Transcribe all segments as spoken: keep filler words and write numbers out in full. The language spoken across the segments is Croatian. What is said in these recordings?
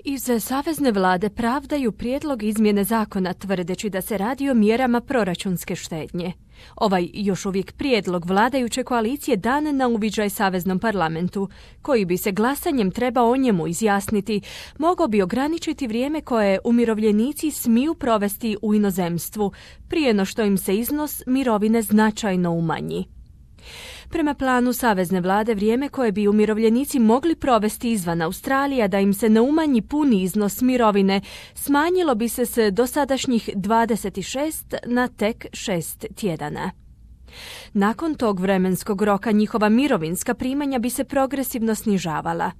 Iz savezne vlade pravdaju prijedlog izmjene zakona tvrdeći da se radi o mjerama proračunske štednje. Ovaj još uvijek prijedlog vladajuće koalicije dan na uviđaj saveznom parlamentu, koji bi se glasanjem trebao o njemu izjasniti, mogao bi ograničiti vrijeme koje umirovljenici smiju provesti u inozemstvu, prije no što im se iznos mirovine značajno umanji. Prema planu savezne vlade, vrijeme koje bi umirovljenici mogli provesti izvan Australije da im se ne umanji puni iznos mirovine, smanjilo bi se s dosadašnjih dvadeset šest na tek šest tjedana. Nakon tog vremenskog roka njihova mirovinska primanja bi se progresivno snižavala.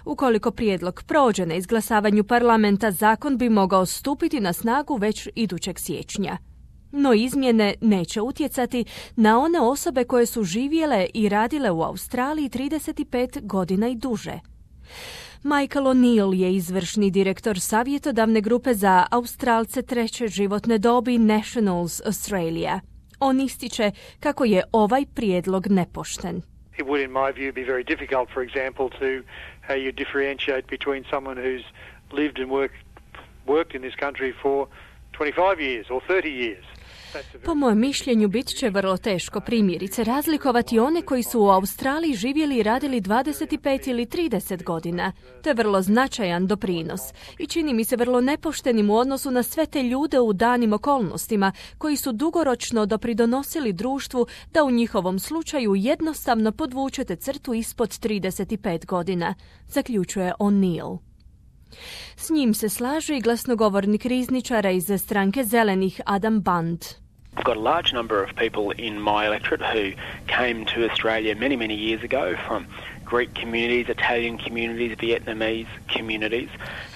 Ukoliko prijedlog prođe na izglasavanju parlamenta, zakon bi mogao stupiti na snagu već idućeg siječnja. No izmjene neće utjecati na one osobe koje su živjele i radile u Australiji trideset pet godina i duže. Michael O'Neill je izvršni direktor savjetodavne grupe za Australce treće životne dobi Nationals Australia. On ističe kako je ovaj prijedlog nepošten. It would, in my view, be very difficult, for example, to how you differentiate between someone who's lived and worked, worked in this country for twenty-five years or thirty years. Po mojem mišljenju bit će vrlo teško primjerice razlikovati one koji su u Australiji živjeli i radili dvadeset pet ili trideset godina. To je vrlo značajan doprinos i čini mi se vrlo nepoštenim u odnosu na sve te ljude u danim okolnostima koji su dugoročno dopridonosili društvu da u njihovom slučaju jednostavno podvučete crtu ispod trideset pet godina, zaključuje O'Neill. S njim se slaže i glasnogovornik rizničara iz stranke Zelenih Adam Band. I've got a large number of people in my electorate who came to Australia many, many years ago from Greek communities, Italian communities, Vietnamese communities.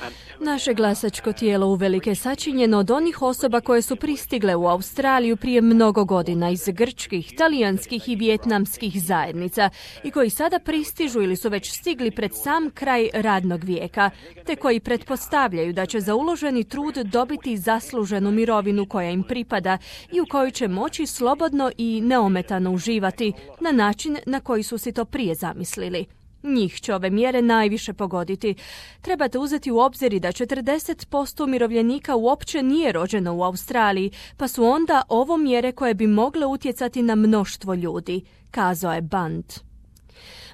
Um, Naše glasačko tijelo uvelike je sačinjeno od onih osoba koje su pristigle u Australiju prije mnogo godina iz grčkih, talijanskih i vijetnamskih zajednica i koji sada pristižu ili su već stigli pred sam kraj radnog vijeka, te koji pretpostavljaju da će za uloženi trud dobiti zasluženu mirovinu koja im pripada i u kojoj će moći slobodno i neometano uživati na način na koji su si to prije zamislili. Njih će ove mjere najviše pogoditi. Trebate uzeti u obzir da četrdeset posto umirovljenika uopće nije rođeno u Australiji, pa su onda ovo mjere koje bi mogle utjecati na mnoštvo ljudi, kazao je Band.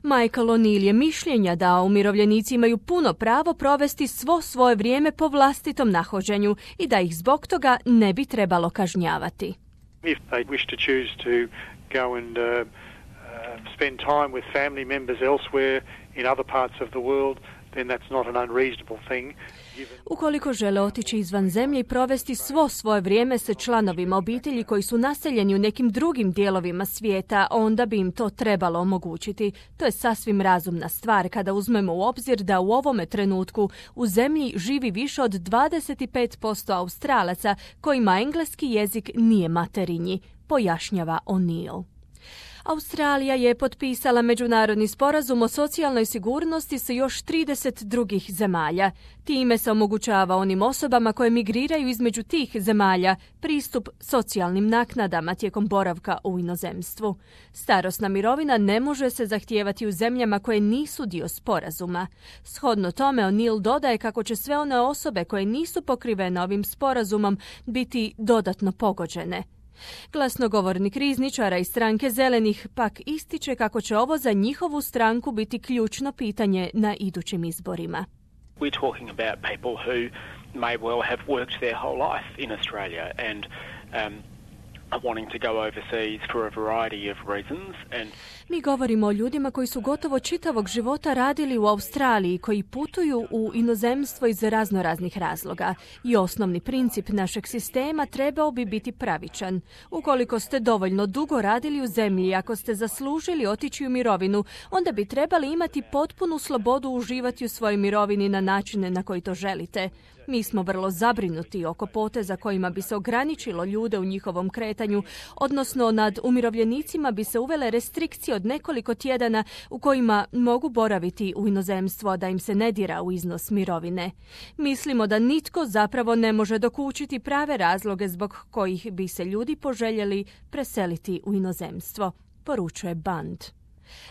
Michael O'Neill je mišljenja da umirovljenici imaju puno pravo provesti svo svoje vrijeme po vlastitom nahođenju i da ih zbog toga ne bi trebalo kažnjavati. If they wish to choose to go and uh, spend time with family members elsewhere in other parts of the world, then that's not an unreasonable thing. Ukoliko žele otići izvan zemlje i provesti svo svoje vrijeme sa članovima obitelji koji su naseljeni u nekim drugim dijelovima svijeta, onda bi im to trebalo omogućiti. To je sasvim razumna stvar kada uzmemo u obzir da u ovome trenutku u zemlji živi više od dvadeset pet posto Australaca kojima engleski jezik nije materinji, pojašnjava O'Neill. Australija je potpisala međunarodni sporazum o socijalnoj sigurnosti sa još trideset drugih zemalja. Time se omogućava onim osobama koje migriraju između tih zemalja pristup socijalnim naknadama tijekom boravka u inozemstvu. Starosna mirovina ne može se zahtijevati u zemljama koje nisu dio sporazuma. Shodno tome, O'Neill dodaje kako će sve one osobe koje nisu pokrivene ovim sporazumom biti dodatno pogođene. Glasnogovornik rizničara iz stranke Zelenih pak ističe kako će ovo za njihovu stranku biti ključno pitanje na idućim izborima. We're talking about people who may well have worked their whole life in Australia and um, are wanting to go overseas for a variety of reasons. And Mi govorimo o ljudima koji su gotovo čitavog života radili u Australiji, koji putuju u inozemstvo iz razno raznih razloga. I osnovni princip našeg sistema trebao bi biti pravičan. Ukoliko ste dovoljno dugo radili u zemlji i ako ste zaslužili otići u mirovinu, onda bi trebali imati potpunu slobodu uživati u svojoj mirovini na načine na koji to želite. Mi smo vrlo zabrinuti oko poteza kojima bi se ograničilo ljude u njihovom kretanju, odnosno nad umirovljenicima bi se uvele restrikcije od nekoliko tjedana u kojima mogu boraviti u inozemstvu, a da im se ne dira u iznos mirovine. Mislimo da nitko zapravo ne može dokučiti prave razloge zbog kojih bi se ljudi poželjeli preseliti u inozemstvo, poručuje Band.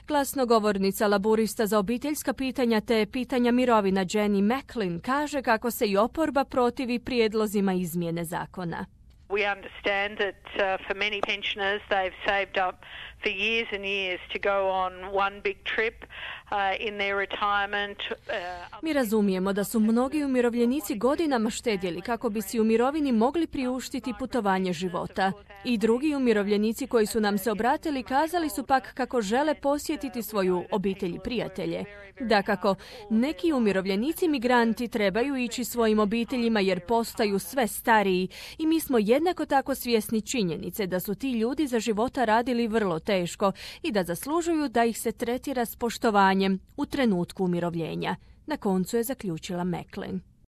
Glasnogovornica laburista za obiteljska pitanja te pitanja mirovina Jenny Macklin kaže kako se i oporba protivi prijedlozima izmjene zakona. We understand that uh, for many pensioners they've saved up for years and years to go on one big trip uh, in their retirement. Uh, Mi razumijemo da su mnogi umirovljenici godinama štedjeli kako bi si u mirovini mogli priuštiti putovanje života. I drugi umirovljenici koji su nam se obratili kazali su pak kako žele posjetiti svoju obitelj i prijatelje. Dakako, neki umirovljenici migranti trebaju ići svojim obiteljima jer postaju sve stariji i mi smo jednako tako svjesni činjenice da su ti ljudi za života radili vrlo teško i da zaslužuju da ih se tretira s poštovanjem u trenutku umirovljenja. Na koncu je zaključila Macklin.